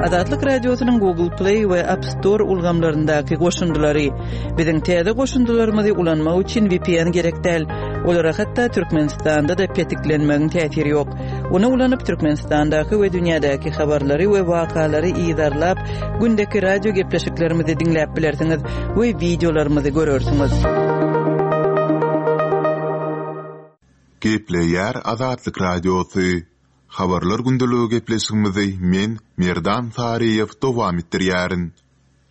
Azatlyk Radiosynyň Google Play we App Store ulgamlaryndaky goşundylary. Biziň täze goşundylarymyzy ulanmak üçin VPN gerek däl. Olara hatda Türkmenistanda-da petiklenmegiň täsiri ýok. Ony ulanyp Türkmenistandaky we dünýädäki habarlary we wakalary yzarlap, gündeki radio gepleşiklerimizi diňläp bilersiňiz we wideolarymyzy görersiňiz. Gepleýär Azatlyk Radiosy. Habarlar gündeligi gepleşigimizi men, Merdan Saryýew dowam etdirýärin.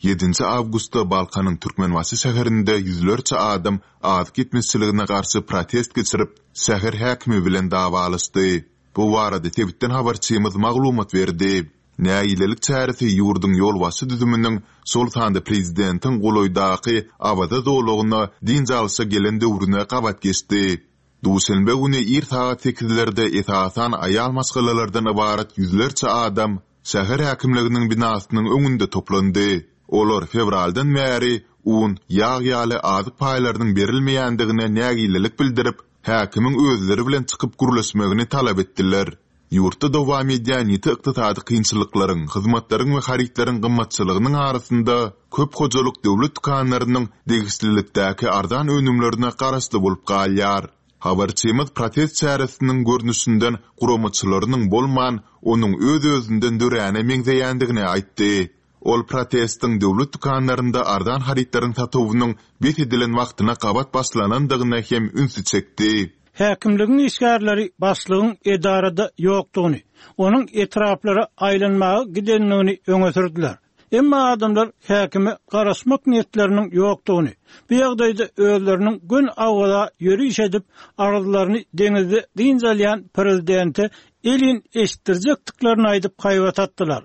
Ýedinji awgustda Balkanyň Türkmenbaşy şäherinde ýüzlerçe adam azyk ýetmezçiligine garşy protest geçirip, şäher häkimi bilen dawalaşdy. Bu barada sebitden habarçymyz maglumat berdi. Nägilelik çäresi ýurduň ýolbaşçy düzüminiň, şol sanda prezidentiň golaýdaky Awaza zolagyna dynç alşa gelen döwrüne gabat geçdi. Duşenbe güni ir sagat sekizlerde esasan aýal maşgalalardan ybarat ýüzlerçe adam şäher häkimliginiň binasynyň öňünde toplandy. Olar fewraldan bäri un, ýag ýaly azyk paýlarynyň berilmeýändigine nägilelik bildirip, häkimiň özleri bilen çykyp gürleşmegini talap etdiler. Ýurtda dowam edýän ýiti ykdysady kynçylyklaryň, hyzmatlaryň we harytlaryň gymmatçylygynyň arasynda köp hojalyk döwlet dükanlarynyň degişlilikdäki arzan önümlerine garaşly bolup galýar. Habarçymyz protest çäresiniň görnüşinden guramaçylarynyň bolman, onuň öz-özünden döräne meňzeýändigini aýtdy. Ol protestiň döwlet dükanlarynda arzan harytlaryň satuwynyň bes edilen wagtyna gabat başlanandygyna hem ünsi çekdi. Häkimligiň işgärleri başlygyň edarada ýokdugyny, onuň etraplara aýlanmaga gidendigini öňe sürdüler. Emma adamlar häkime garaşmak niýetleriniň ýokdugyny, bu ýagdaýda özleriniň göni Awaza ýöriş edip, arzlaryny deňizde dynç alýan prezidente elin eşitdirjekdiklerini aýdyp haýbat atdylar.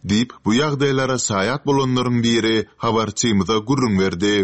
Diýip, bu ýagdaýlara şaýat bolanlaryň biri habarçymyza gürrüň berdi.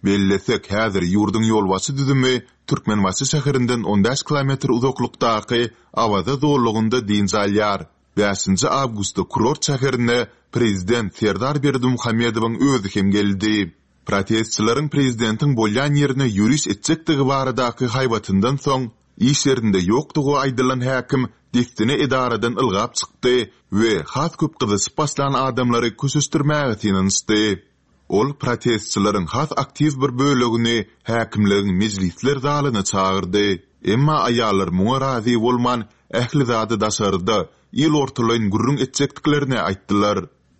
Bellesek, häzir ýurduň ýolbaşçy düzümi Türkmenbaşy şäherinden on bäş kilometr uzaklykdaky Awaza zolagynda dynç alýar. Bäşinji awgustda kurort şäherine prezident Serdar Berdimuhamedowyň özi hem geldi. Protestçileriň prezidentiň bolýan ýerine ýöriş etjekdigi baradaky haýbatyndan soň, Iş ýerinde ýokdugy aýdylan häkim dessine edaradan ylgap çykdy we has köp gyzyşyp başlan adamlary köşeşdirmäge synanyşdy. Ol protestçileriň has aktiw bir bölegini häkimligiň mejlisler zalyna çagyrdy. Emma aýallar muňa razy bolman, ähli zady daşarda, il ortalaýyn gürrüň etjekdiklerini aýtdylar.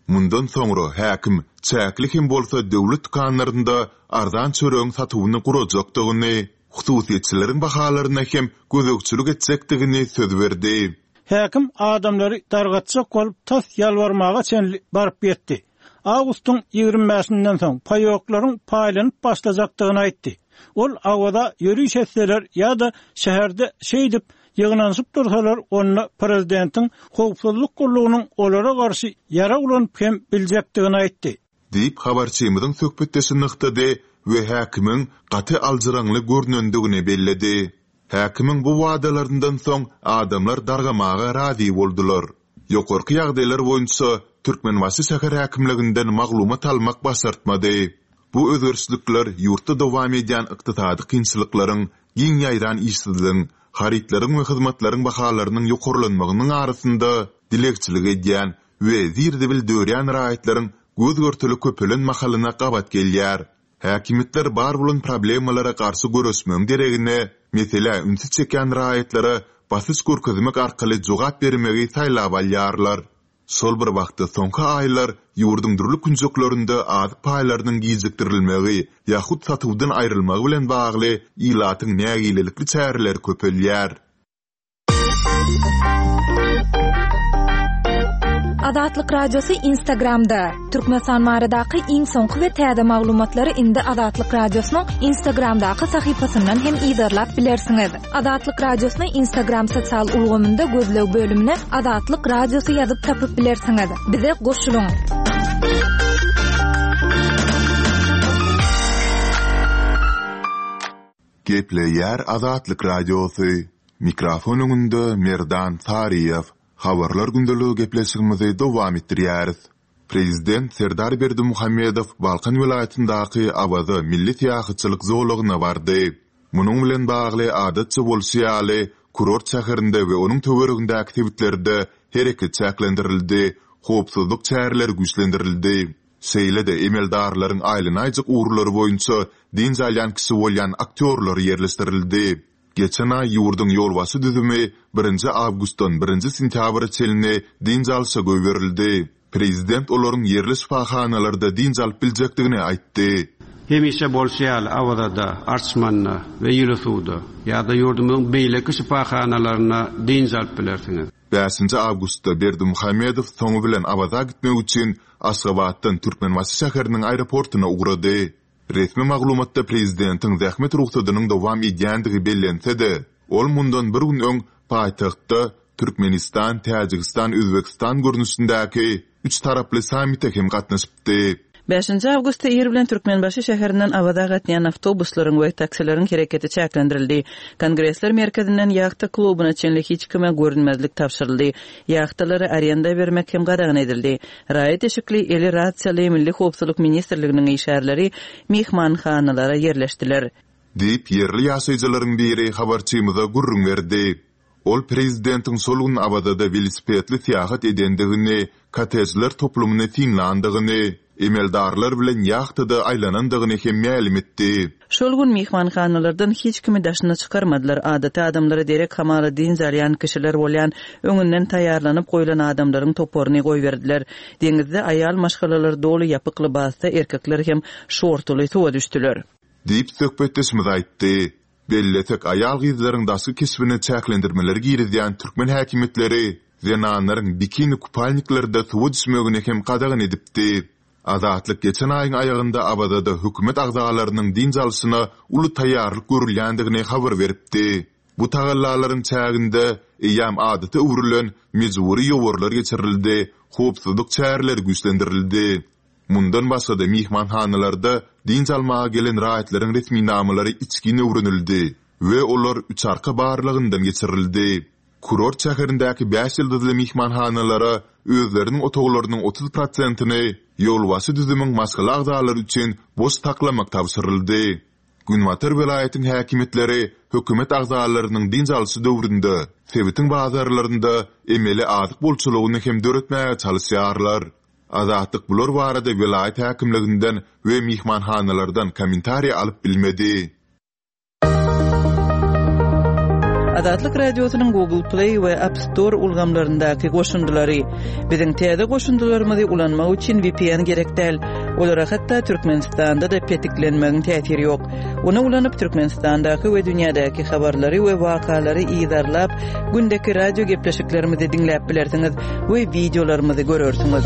Mundan soňra häkim çäkli hem bolsa döwlet dükanlarynda arzan çöregiň satuwyny gurajakdygyny, hususyýetçileriň bahalaryna hem gözegçilik etjekdigini söz berdi. Häkim adamlary dargatjak bolup tas ýalbarmaga çenli baryp ýetdi. Awgustyň ýigrimi bäşinden soň paýoklaryň paýlanyp başlajakdygyny aýtdy. Ol Awaza ýöriş etseler ýa-da şäherde şeýdip ýygnanyşyp dursalar, onda prezidentiň howpsuzlyk gullugynyň olara garşy ýarag ulanyp hem biljekdigini aýtdy. Diýip, habarçymyzyň söhbetdeşi nygtady we häkimiň gaty aljyraňly görnendigini belledi. Häkimiň bu wadalaryndan soň adamlar dargamaga razy boldular. Ýokarky ýagdaýlar boýunça Türkmenbaşy şäher häkimliginden maglumat almak başartmady. Bu özgerişlikler ýurtda dowam edýän ykdysady kynçylyklaryň, giň ýaýran işsizligiň, harytlaryň we hyzmatlaryň bahalarynyň ýokarlanmagynyň arasynda dilegçilik edýän we zir-zibil dörýän raýatlaryň göz-görtele köpelen mahalyna gabat gelýär. Häkimiýetler bar bolan problemalara garşy göreşmegiň deregine, meselä ünsi çekýän raýatlara basyş görkezmek arkaly jogap bermegi saýlap alýarlar. Şol bir wagtda, soňky aýlar ýurduň dürli künjeklerinde azyk paýlarynyň gijikdirilmegi ýa-hut satuwdan aýrylmagy bilen bagly ilatyň nägilelikli çäreleri köpelýär. Azatlyk Radiosy Instagramda, Türkmenistan baradaky iň soňky we täze maglumatlary indi Azatlyk Radiosynyň Instagramdaky sahypasyndan hem yzarlap bilersiňiz. Azatlyk Radiosyny Instagram sosial ulgamynda gözleg bölümine Azatlyk Radiosy ýazyp tapyp bilersiňiz. Bize goşulyň! Gepleýär Azatlyk Radiosy, Mikrofon öňünde Merdan Saryýew. Habarlar gündeligi gepleşigimizi dowam etdirýäris. Prezident Serdar Berdimuhamedow Balkan welaýatyndaky Awaza milli syýahatçylyk zolagyna bardy. Munuň bilen bagly, adatça bolşy ýaly, kurort şäherinde we onuň töweregindäki sebitlerde hereket çäklendirildi, howpsuzlyk çäreleri güýçlendirildi. Şeýle-de emeldarlaryň aýlanaýjak ugurlary boýunça dynç alýan kişi bolýan aktýorlar ýerleşdirildi. Geçen aý ýurduň ýolbaşçy düzümi birinji awgustdan birinji sentýabra çenli dynç alşa goýberildi. Prezident olaryň ýerli şypahanalarda dynç alyp biljekdigini aýtdy. Hemişe bolşy ýaly, Awazada, Arçmanda we Ýyly suwda ýa-da ýurdumyzyň beýleki şypahanalarynda dynç alyp bilersiňiz. Bäşinji awgustda Berdimuhamedow soňy bilen Awaza gitmek üçin Aşgabatdan Türkmenbaşy şäheriniň aeroportuna ugrady. Resmi maglumatda prezidentiň zähmet rugsadynyň dowam edýändigi bellense-de, ol mundan bir gün öň paýtagtda Türkmenistan, Täjigistan, Özbegistan görnüşindäki üç taraply sammite hem gatnaşypdy. Bäşinji awgustda ir bilen Türkmenbaşy şäherinden Awaza gatnaýan awtobuslaryň we taksileriň hereketi çäklendirildi. Kongresler merkezinden ýahta klubuna çenli hiç kime görünmezlik tabşyryldy. Ýahtalary arenda bermek hem gadagan edildi. Raýat eşikli, eli rasiýaly Milli howpsuzlyk ministrliginiň işgärleri myhmanhanalara ýerleşdiler. Diýip, ýerli ýaşaýjylaryň biri habarçymyza gürrüň berdi. Ol prezidentiň şol gün Awazada welosipedli syýahat edendigini, kottejler toplumyny synlandygyny, emeldarlar bilen ýahtada aýlanandygyny hem mälim etdi. Şol gün myhmanhanalardan hiç kimi daşyna çykarmadylar, adaty adamlara derek hamala dynç alýan kişiler bolýan öňünden taýýarlanyp goýlan adamlaryň toparyny goýberdiler. Deňizde aýal maşgalalar doly ýapyk lybasda, erkekler hem şortuly suwa düşdüler. Diýip, söhbetdeşimiz aýtdy. Bellesek, aýal-gyzlaryň daşky keşbine çäklendirmeleri girizýän türkmen häkimiýetleri zenanlaryň bikini-kupalniklerde suwa düşmegini hem gadagan edipdi. Azatlyk geçen aýyň aýagynda Awazada hökümet agzalarynyň dynç alşyna uly taýýarlyk görülýändigini habar beripdi. Bu tagallalaryň çäginde eýýäm adata öwrülen mejbury ýowarlar geçirildi, howpsuzlyk çäreleri güýçlendirildi. Mundan başga-da myhmanhanalarda dynç almaga gelen raýatlaryň resminamalary içgin öwrenildi we olar üçarka barlagyndan geçirildi. Kurort şäherindäki bäş ýyldyzly myhmanhanalara özleriniň otaglarynyň 30 prosentini ýolbaşçy düzümiň maşgala agzalary üçin boş saklamak tabşyryldy. Günbatar welaýatyň häkimiýetleri hökümet agzalarynyň dynç alşy döwründe sebitiň bazarlarynda emeli azyk bolçulygyny hem döretmäge çalyşýarlar. Azatlyk bular barada welaýat häkimliginden we myhmanhanalardan kommentariý alyp bilmedi. Azatlyk Radiosynyň Google Play we App Store ulgamlaryndaky goşundylary. Biziň täze goşundylarymyzy ulanmak üçin VPN gerek däl. Olara hatda Türkmenistanda-da petiklenmegiň täsiri ýok. Ony ulanyp Türkmenistandaky we dünýädäki habarlary we wakalary yzarlap, gündeki radio gepleşiklerimizi diňläp bilersiňiz we wideolarymyzy görersiňiz.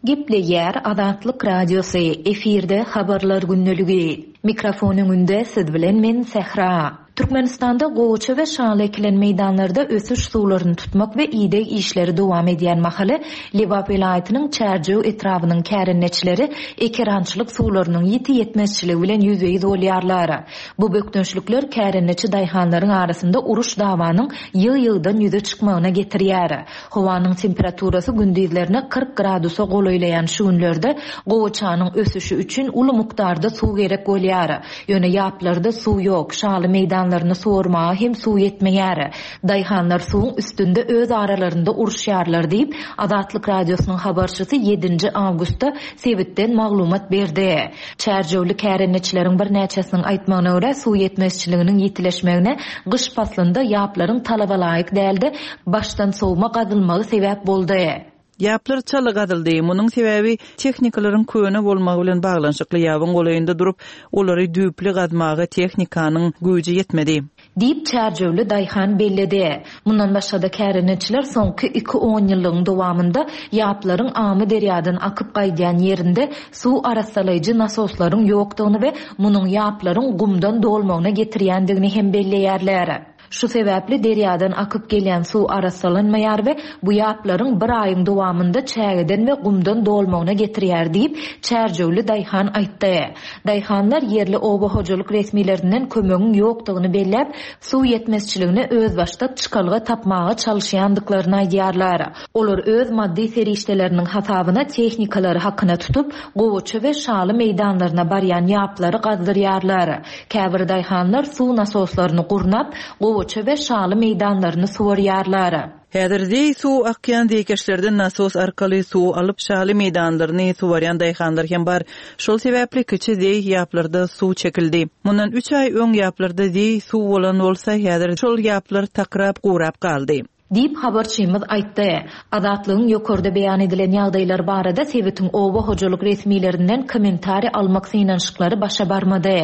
Gepleýär Azatlyk Radiosy, efirde Habarlar gündeligi. Mikrofon öňünde siz bilen men Sähra. Türkmenistanda gowaça we şaly ekilen meýdanlarda ösüş suwlaryny tutmak we ideg işleri dowam edýän mahaly, Lebap welaýatynyň Çärjew etrabynyň kärendeçileri ekerançylyk suwlarynyň ýiti ýetmezçiligi bilen ýüzbe-ýüz bolýarlar. Bu bökdençlikler kärendeçi daýhanlaryň arasynda uruş-dawanyň ýygy-ýygydan ýüze çykmagyna getirýär. Howanyň temperaturasy gündizlerine 40 gradusa golaýlaýan şu günlerde gowaçanyň ösüşi üçin uly mukdarda suw gerek bolýar. Ýöne ýaplarda suw ýok, şaly meýdanlaryny suwarmaga hem suw ýetmeýär. Daýhanlar suwuň üstünde öz aralarynda uruşýarlar diýip, Azatlyk Radiosynyň habarçysy ýedinji awgustda sebitden maglumat berdi. Çärjewli kärendeçileriň birnäçesiniň aýtmagyna görä, suw ýetmezçiliginiň ýitileşmegine gyş paslynda ýaplaryň talabalaýyk däl-de, başdan sowma gazylmagy sebäp boldy. Ýaplar çala gazyldy. Munuň sebäbi tehnikalaryň köne bolmagy bilen baglanyşykly. Ýabyň golaýynda durup, olary düýpli gazmaga tehnikanyň güýji ýetmedi. Diýip, çärjewli daýhan belledi. Mundan başga-da kärendeçiler soňky iki onýyllygyň dowamynda ýaplaryň Amyderýadan akyp gaýdýan ýerinde suw arassalaýjy nasoslaryň ýokdugyny we munuň ýaplaryň gumdan dolmagyna getirýändigini hem belleýärler. Şu sebäpli derýadan akyp gelýän suw arassalanmaýar we bu ýaplaryň bir aýyň dowamynda çägeden we gumdan dolmagyna getirýär diýip, çärjewli daýhan aýtdy. Daýhanlar ýerli oba hojalyk resmilerinden kömegiň ýokdugyny belläp, suw ýetmezçiligine özbaşdak çykalga tapmaga çalyşýandyklaryny aýdýarlar. Olar öz maddy serişdeleriniň hasabyna tehnikalary hakyna tutup, gowaça we şaly meýdanlaryna barýan ýaplary gazdyrýarlar. Käbir daýhanlar suw nasoslaryny gurnap, gowaça. gowaça we şaly meýdanlaryny suwarýarlar. Häzir zeý suw akýan zeýkeşlerden nasos arkaly suw alyp, şaly meýdanlaryny suwarýan daýhanlar hem bar. Şol sebäpli kiçi zeý ýaplarda suw çekildi. Mundan üç aý öň ýaplarda zeý suw bolan bolsa, häzir şol ýaplar takrap gurap galdy. Diýip, habarçymyz aýtdy. Azatlygyň ýokarda beýan edilen ýagdaýlar barada sebitiň oba hojalyk resmilerinden kommentariý almak synanyşyklary başa barmady.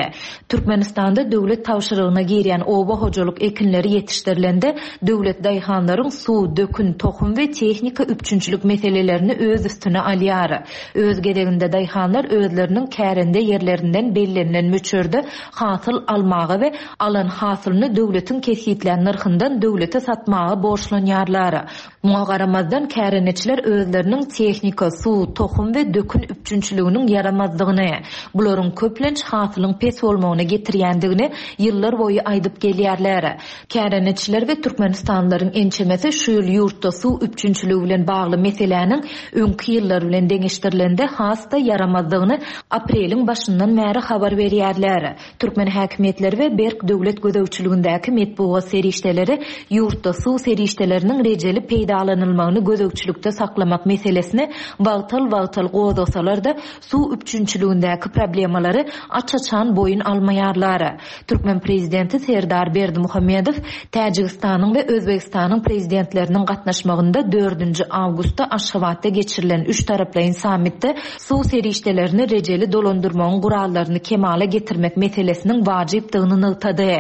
Türkmenistanda döwlet tabşyrygyna girýän oba hojalyk ekinleri ýetişdirilende, döwlet daýhanlaryň suw, dökün, tohum we tehnika üpjünçilik meselelerini öz üstüne alýar. Öz gezeginde daýhanlar özleriniň kärende ýerlerinden bellenilen möçberde hasyl almaga we alan hasylyny döwletiň kesgitlän nyrhyndan döwlete satmaga borçlanýarlar. Muňa garamazdan, kärendeçiler özleriniň tehnika, suw, tohum we dökün üpjünçiliginiň ýaramazdygyny, bularyň köplenç hasylyň pes bolmagyna getirýändigini ýyllar boýy aýdyp gelýärler. Kärendeçiler we türkmenistanlylaryň ençemesi şu ýyl ýurtda suw üpjünçiligi bilen bagly meseläniň öňki ýyllar bilen deňeşdirilende has-da ýaramazdygyny apreliň başyndan bäri habar berýärler. Türkmen häkimiýetleri we berk döwlet gözegçiligindäki metbugat serişdeleri ýurtda suw serişdeleriniň rejeli peýdalanylmagyny gözegçilikde saklamak meselesini wagtal-wagtal gozgasalar-da, suw üpjünçiligindäki problemalary aç-açan boýun almaýarlar. Türkmen prezidenti Serdar Berdimuhamedow Täjigistanyň we Özbegistanyň prezidentleriniň gatnaşmagynda dördünji awgustda Aşgabatda geçirilen üçtaraplaýyn sammitde suw serişdelerini rejeli dolandyrmagyň gurallaryny kemala getirmek meselesiniň wajypdygyny nygtady.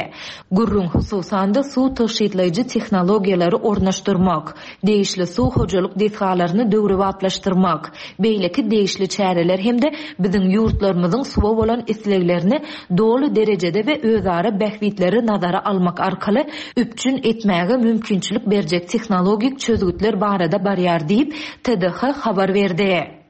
Gürrüň, hususan-da, suw tygşytlaýjy tehnologiýalary ornaşdyrmak, degişli suw hojalyk desgalaryny döwrebaplaşdyrmak, beýleki degişli çäreler hem-de biziň ýurtlarymyzyň suwa bolan isleglerini doly derejede we özara bähbitleri nazara almak arkaly üpjün etmäge mümkinçilik berjek tehnologik çözgütler barada barýar diýip, TDH habar berdi.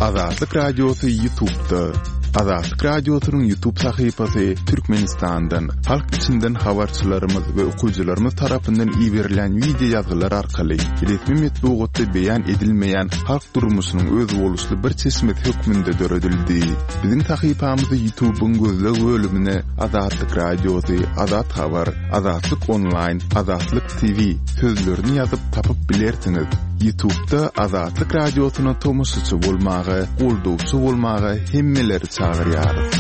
Azatlyk Radiosy YouTube'da. Azatlyk Radiosynyň YouTube sahypasy Türkmenistandan, halk içinden habarçylarymyz we okyjylarymyz tarapyndan iberilen wideo ýazgylar arkaly resmi metbugatda beýan edilmeýän halk durmuşynyň özboluşly bir çeşmesi hökmünde döredildi. Biziň sahypamyzy YouTube'yň gözleg bölümine Azatlyk Radiosy, Azat Habar, Azatlyk Onlaýn, Azatlyk TV sözlerini ýazyp tapyp bilersiňiz. Ýutubda Azatlyk Radiosyna tomaşaçy bolmaga, goldawçy bolmaga hemmeleri çagyrýarys.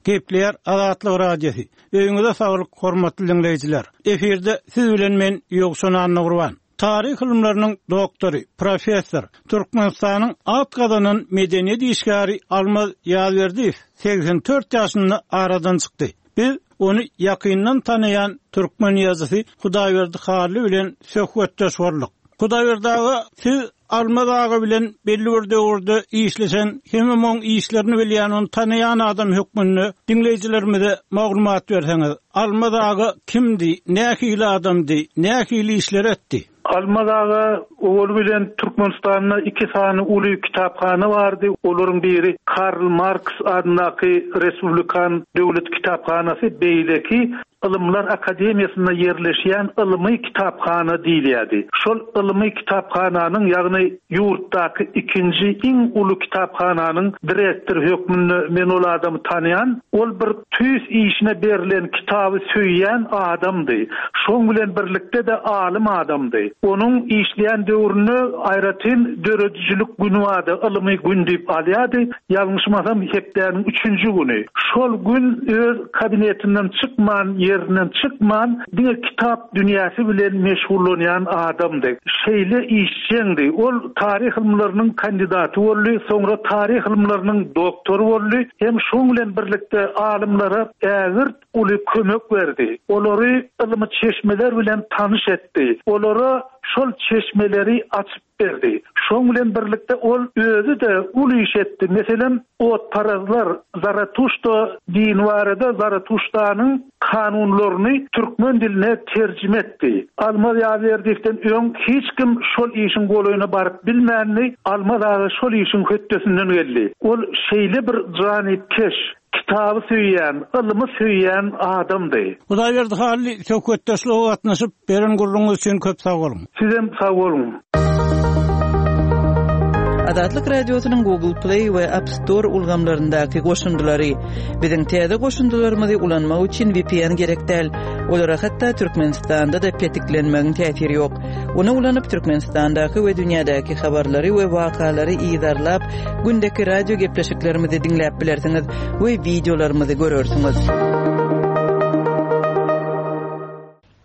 Gepleýär Azatlyk Radiosy. Öýüňize saglyk hormatly diňleýjiler. Efirde siz bilen men Ýowşan Annagurban. Taryh ylymlarynyň doktory, professor, Türkmenistanyň at gazanan medeniýet işgäri Almaz Ýazberdiýew 84 ýaşynda aradan çykdy. Biz ony ýakyndan tanaýan türkmen ýazyjysy Hudaýberdi Hally bilen söhbetdeş bolduk. Hudaýberdi aga, siz Almaz aga bilen belli bir döwürde işleşen hemem oň işlerini bilýän, ony tanaýan adam hökmünde diňleýjilerimize maglumat berseňiz. Almaz aga kimdi, nähili adamdy, nähili işler etdi? Almaz aga owaly bilen Türkmenistanda iki sany uly kitaphana bardy. Olaryň biri Karl Marks adyndaky Respublikan döwlet kitaphanasy, beýleki Ylymlar akademiýasynda ýerleşýän ylmy kitaphana diýilýärdi. Şol ylmy kitaphananyň, ýagny ýurtdaky ikinji iň uly kitaphananyň direktory hökmünde men ol adamy tanaýan. Ol bir tüýs işine berlen, kitaby söýýän adamdy. Şoň bilen birlikde-de alym adamdy. Onuň işleýän döwründe aýratyn döredijilik güni bardy, ylmy gün diýip alýardy. Ýalňyşmasam, hepdäniň üçünji güni. Şol gün öz kabinetinden çykman, ýerinden çykman, diňe kitap dünýäsi bilen meşgullanýan adamdy. Şeýle işjeňdi. Ol taryh ylymlarynyň kandidaty boldy, soňra taryh ylymlarynyň doktory boldy hem şoň bilen birlikde alymlara ägirt uly kömek berdi. Olary ylmy çeşmeler bilen tanyş etdi. Olara şol çeşmeleri açyp berdi. Şoň bilen birlikde ol özi-de uly iş etdi. Meselem, otparazlar Zaratuşta dini barada Zaratuştanyň kanunlaryny türkmen diline terjime etdi. Almaz Ýazberdiýewden öň hiç kim şol işiň golaýyna baryp bilmändi. Almaz aga şol işiň hötdesinden geldi. Ol şeýle bir janypkeş, Kitaby söýýän, ylymy söýýän adamdy. Hudaýberdi Hally söhbetdeşlige gatnaşyp, beren gürrüňiňiz üçin köp sag boluň. Sizem sag boluň. Azatlyk Radiosynyň Google Play we App Store ulgamlaryndaky goşundylary. Biziň täze goşundylarymyzy ulanmak üçin VPN gerek däl. Olara hatda Türkmenistanda-da petiklenmegiň täsiri ýok. Ony ulanyp Türkmenistandaky we dünýädäki habarlary we wakalary yzarlap, gündeki radio gepleşiklerimizi diňläp bilersiňiz we wideolarymyzy görersiňiz.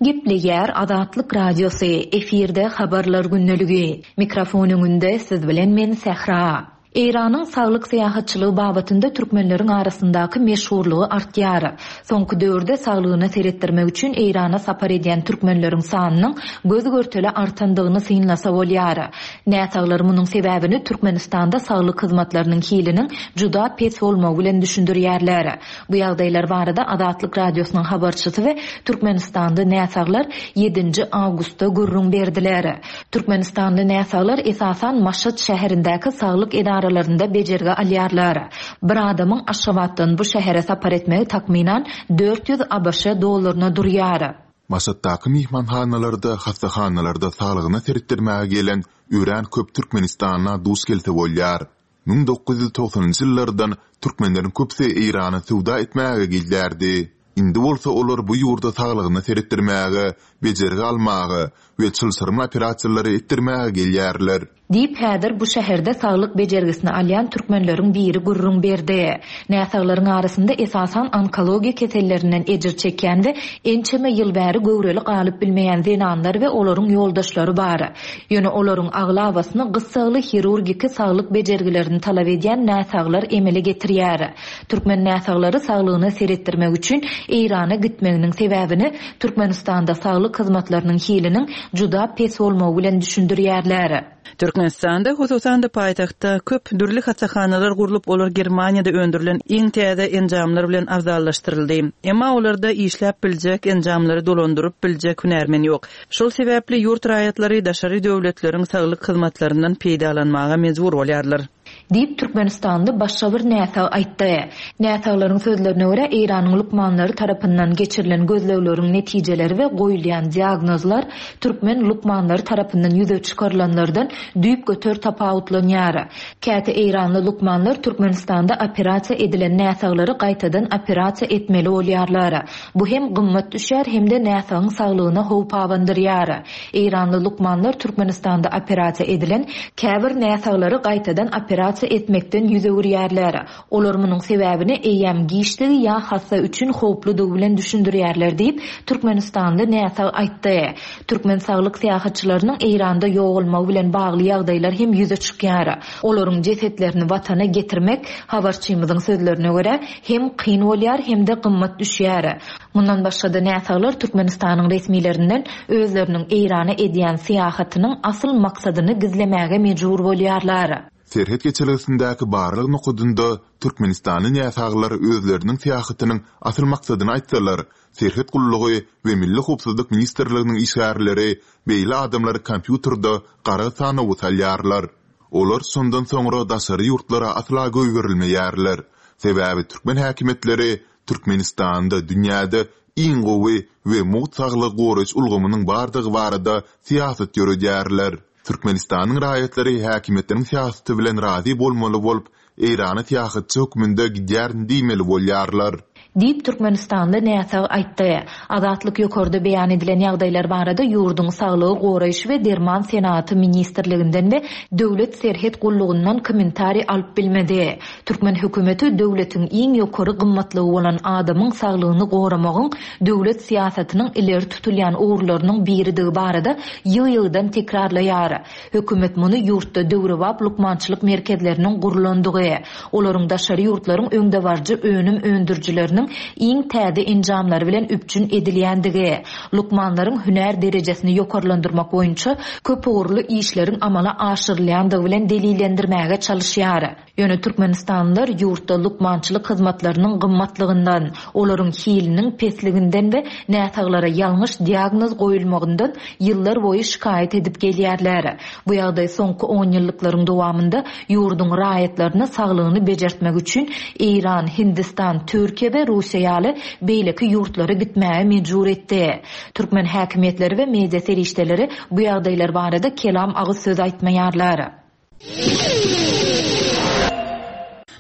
Gepleýär Azatlyk Radiosy, efirde Habarlar gündeligi. Mikrofon öňünde siz bilen men Sähra. Eýranyň saglyk syýahatçylygy babatynda türkmenleriň arasyndaky meşhurlygy artýar. Soňky döwürde saglygyna seretdirmek üçin Eýrana sapar edýän türkmenleriň sanynyň göz-görtele artandygyny synlasa bolýar. Näsaglar munuň sebäbini Türkmenistanda saglyk hyzmatlarynyň hiliniň juda pes bolmagy bilen düşündirýärler. Bu ýagdaýlar barada Azatlyk Radiosynyň habarçysy we türkmenistanly näsaglar ýedinji awgustda gürrüň berdiler. Türkmenistanly näsaglar esasan Maşat şäherindäki saglyk edaralarynda bejergi alýarlar. Bir adamyň Aşgabatdan bu şähere sapar etmegi takmynan 400 abş dollaryna durýar. Maşatdaky myhmanhanalarda, hassahanalarda saglygyna seretdirmäge gelen örän köp türkmenistanla duş gelse bolýar. 1990-njy ýyllardan türkmenleriň köpüsi Eýrana söwda etmäge gelýärdi. Indi bolsa olar bu ýurda saglygyna seretdirmäge, bejergi almaga we çylşyrymly operasiýalary etdirmäge gelýärler. Diýip, häzir bu şäherde saglyk bejergisini alýan türkmenleriň biri gürrüň berdi. Näsaglaryň arasynda esasan onkologiýa kesellerinden ejir çekýän we ençeme ýyl bäri göwreli galyp bilmeýän zenanlar we olaryň ýoldaşlary bar. Ýöne olaryň aglabasyny gyssagly hirurgiki saglyk bejergilerini talap edýän näsaglar emele getirýär. Türkmen näsaglary saglygyna seretdirmek üçin Eýrana gitmeginiň sebäbini Türkmenistanda saglyk hyzmatlarynyň hiliniň juda pes bolmagy bilen düşündirýärler. Türkmenistanda, hususan-da paýtagtda köp dürli hassahanalar gurlup, olar Germaniýada öndürilen iň täze enjamlar bilen abzallaşdyryldy. Emma olarda işläp biljek, enjamlary dolandyryp biljek hünärmen ýok. Şol sebäpli ýurt raýatlary daşary döwletleriň saglyk hyzmatlaryndan peýdalanmaga mejbur bolýarlar. Diýip, türkmenistanly başga bir näsag aýtdy. Näsaglaryň sözlerine görä, Eýranyň lukmanlary tarapyndan geçirilen gözlegleriň netijeleri we goýulýan diagnozlar türkmen lukmanlary tarapyndan ýüze çykarylanlardan düýpgöter tapawutlanýar. Käte eýranly lukmanlar Türkmenistanda operasiýa edilen näsaglary gaýtadan operasiýa etmeli bolýarlar. Bu hem gymmat düşýär hem-de näsagyň saglygyna howp abandyrýar. Eýranly lukmanlar Türkmenistanda operasiýa edilen käbir näsaglary gaýtadan operasiýa etmekden ýüz öwürýärler. Olar munuň sebäbini eýýäm giçdigi ýa hassa üçin howpludygy bilen düşündirýärler diýip, türkmenistanly näsag aýtdy. Türkmen saglyk syýahatçylarynyň Eýranda ýogalmagy bilen bagly ýagdaýlar hem ýüze çykýar. Olaryň jesetlerini watana getirmek, habarçymyzyň sözlerine görä, hem kyn bolýar, hem-de gymmat düşýär. Mundan başga-da näsaglar Türkmenistanyň resmilerinden özleriniň Eýrana edýän syýahatynyň asyl maksadyny gizlemäge mejbur bolýarlar. Serhet geçelgesindäki barlag nokadynda türkmenistanly näsaglar özleriniň syýahatynyň asyl maksadyny aýtsalar, Serhet gullugy we Milli howpsuzlyk ministrliginiň işgärleri beýle adamlary kompýuterde gara sanawa salýarlar. Olar şondan soňra daşary ýurtlara asla goýberilmeýärler. Sebäbi türkmen häkimiýetleri Türkmenistanda dünýäde iň gowy we mugt saglygy goraýyş ulgamynyň bardygy barada syýasat ýöredýärler. Türkmenistanyň raýatlary häkimiýetleriň syýasaty bilen razy bolmaly bolup, Eýrana syýahatçy hökmünde gidýärin diýmeli bolýarlar. Diýip, türkmenistanly näsag aýtdy. Azatlyk ýokarda beýan edilen ýagdaýlar barada ýurduň Saglygy goraýyş we derman senagaty ministrliginden we Döwlet serhet gullugyndan kommentariý alyp bilmedi. Türkmen hökümeti döwletiň iň ýokary gymmatlygy bolan adamyň saglygyny goramagyň döwlet syýasatynyň ileri tutulýan ugurlarynyň biridigi barada ýygy-ýygydan tekrarlaýar. Hökümet muny ýurtda döwrebap lukmançylyk merkezleriniň gurlandygy, olaryň daşary ýurtlaryň öňdebaryjy önüm öndürijileriniň iň täze enjamlary bilen üpjün edilýändigi, lukmanlaryň hünär derejesini ýokarlandyrmak boýunça köpugurly işleriň amala aşyrylýandygy bilen delillendirmäge çalyşýar. Ýöne türkmenistanlylar ýurtda lukmançylyk hyzmatlarynyň gymmatlygyndan, olaryň hiliniň pesliginden we näsaglara ýalňyş diagnoz goýulmagyndan ýyllar boýy şikaýat edip gelýärler. Bu ýagdaý soňky onýyllyklaryň dowamynda ýurduň raýatlaryny saglygyny bejertmek üçin Eýran, Hindistan, Türkiýe we Russiýa ýaly beýleki ýurtlara gitmäge mejbur etdi. Türkmen häkimiýetleri we media serişdeleri bu ýagdaýlar barada kelam agyz söz aýtmaýarlar.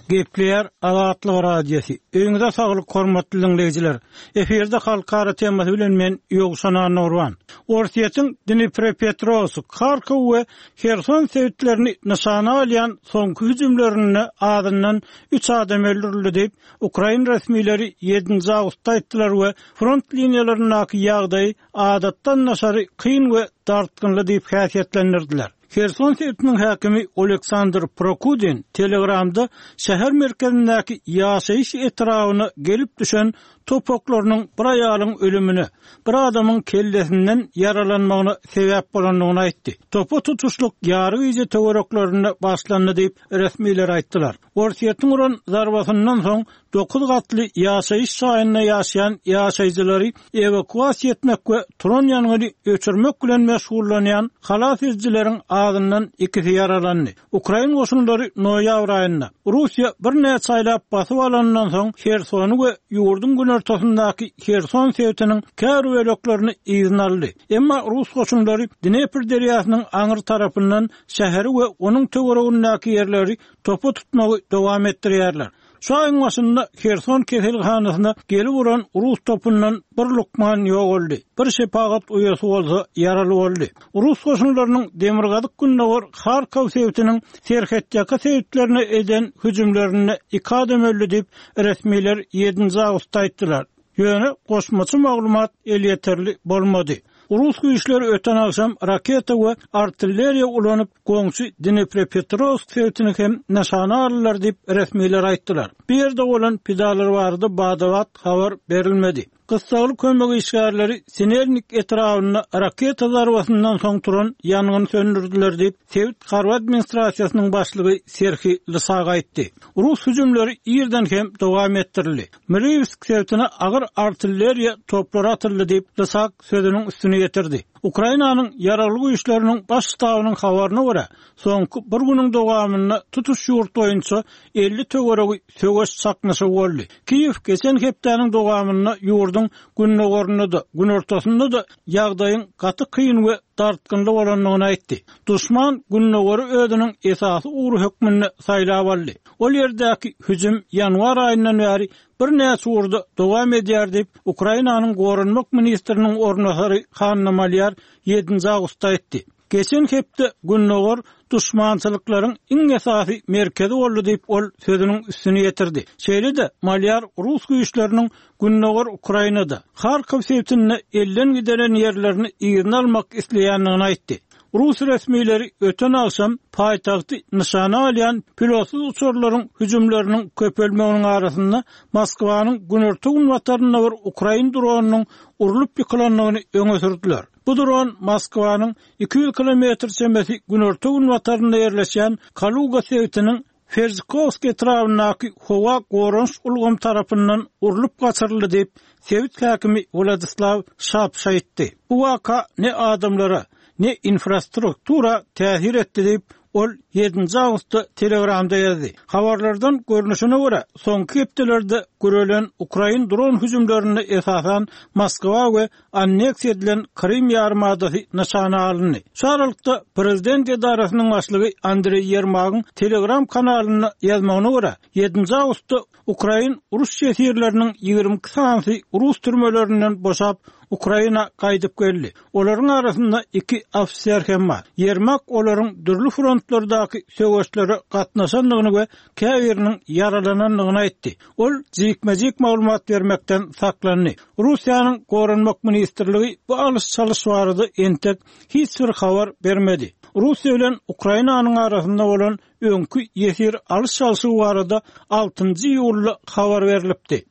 Gepleýär Azatlyk Radiosy. Öýüňize saglyk hormatly diňleýjiler. Efirde halkara temasy bilen men Ýowşan Annagurban. Orsýetiň Dniprepetrowsk, Harkow we Herson sebitlerini nyşana alýan soňky hüjümlerinde azyndan üç adam öldürildi diýip, ukrain resmileri ýedinji awgustda aýtdylar we front liniýalaryndaky ýagdaýy adatdan daşary kyn we dartgynly diýip häsiýetlendirdiler. Herson sebitiniň häkimi Oleksandr Prokudin Telegramda şäher merkezindäki ýaşaýyş etrabyna gelip düşen top oklarynyň bir aýalyň ölümine, bir adamyň kellesinden ýaralanmagyna sebäp bolandygyny aýtdy. Topa tutuşlyk ýary gije töwereklerinde başlandy diýip, resmiler aýtdylar. Orsýetiň uran zarbasyndan soň dokuz gatly ýaşaýyş jaýynda ýaşaýan ýaşaýjylary ewakuasiýa etmek we turan ýangyny öçürmek bilen meşgullanýan halas edijileriň azyndan ikisi ýaralandy. Ukrain goşunlary noýabr aýynda, Russiýa birnäçe aýlap basyp alanyndan soň Hersony we ýurduň günortasyndaky Herson sebitiniň käbir böleklerini yzyna aldy. Emma rus goşunlary Dnepr derýasynyň aňry tarapyndan şäheri we onuň töweregindäki ýerleri topa tutmagy dowam etdirýärler. Şu aýyň başynda Herson keselhanasyna gelip uran rus topundan bir lukman ýogaldy, bir şepagat uýasy bolsa ýaraly boldy. Rus goşunlarynyň demirgazyk-gündogar Harkow sebitiniň serhetýaka sebitlerine eden hüjümlerinde iki adam öldi diýip, resmiler ýedinji awgustda aýtdylar. Ýöne goşmaça maglumat elýeterli bolmady. Rus güýçleri öten agşam raketa we artilleriýa ulanyp, goňşy Dniprepetrowsk sebitini hem nyşana aldylar diýip, resmiler aýtdylar. Bu ýerde bolan pidalar barada bada-bat habar berilmedi. Gyssagly kömek işgärleri Sinelnik etrabynda raketa zarbasyndan soň turan ýangyny söndürdiler diýip, sebit harby administrasiýasynyň başlygy Serhiý Lysak aýtdy. Rus hüjümleri irden hem dowam etdirildi. Mriwsk sebitine agyr artilleriýa toplary atyldy diýip, Lysak sözüniň üstüni ýetirdi. Ukrainanyň Ýaragly Güýçleriniň Baş ştabynyň habaryna görä, soňky bir günüň dowamynda tutuş ýurt boýunça 50 töweregi söweş çaknyşygy boldy. Kiýew geçen hepdäniň dowamynda ýurduň gündogarynda-da, günortasynda-da ýagdaýyň gaty kyn we dartgynly bolandygyny aýtdy. Duşman gündogary özüniň esasy ugry hökmünde saýlap aldy. Ol ýerdäki hüjüm ýanwar aýyndan bäri birnäçe ugurda dowam edýär diýip, Ukrainanyň goranmak ministriniň orunbasary Hanna Malýar ýedinji awgustda aýtdy. Geçen hepde gündogar duşmançylyklaryň iň esasy merkezi boldy diýip, ol sözüniň üstüni ýetirdi. Şeýle-de, Malýar rus güýçleriniň gündogar Ukrainada, Harkow sebitinde elden gideren ýerlerini yzyna almak isleýändigini aýtdy. Rus resmileri öten agşam paýtagty nyşana alýan pilotsyz uçarlaryň hüjümleriniň köpelmeginiň arasynda Moskwanyň günorta-günbatarynda bir ukrain dronynyň urlup ýykylandygyny öňe sürdüler. Bu dron Moskwanyň 200 kilometr çemesi günorta-günbatarynda ýerleşýän Kaluga sebitiniň Ferzikowsk etrabyndaky howa goranyş ulgamy tarapyndan urlup gaçyryldy diýip, sebit häkimi Wladislaw Şapş aýtdy. Bu waka ne adamlara, ne infrastruktura täsir etdi diýip, ol ýedinji awgustda Telegramda ýazdy. Habarlardan görnüşine görä, soňky hepdelerde gürelen ukrain dron hüjümlerinde esasan Moskwa we anneksiýa edilen Krym ýarymadasy nyşana alyndy. Şu aralykda, prezident edarasynyň başlygy Andreý Ýermagyň Telegram kanalynda ýazmagyna görä, ýedinji awgustda ukrain uruş ýesirleriniň 22 sanysy rus türmelerinden boşap, Ukraina gaýdyp geldi. Olaryň arasynda iki ofiser hem bar. Ýermak olaryň dürli frontlardaky söweşlere gatnaşandygyny we käbiriniň ýaralanandygyny aýtdy. Ol jikme-jik maglumat bermekden saklandy. Russiýanyň Goranmak ministrligi bu alyş-çalyş barada entek hiç bir habar bermedi. Russiýa bilen Ukrainanyň arasynda bolan öňki ýesir alyş-çalşygy barada altynjy iýulda habar berlipdi.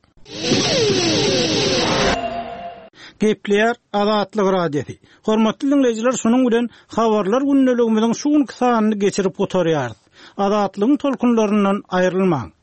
Gepleýär Azatlyk Radiosy. Hormatly diňleýjiler, şunuň bilen Habarlar gündeligimiziň şu günki sanyny geçirip gutarýarys. Azatlygyň tolkunlaryndan aýrylmaň!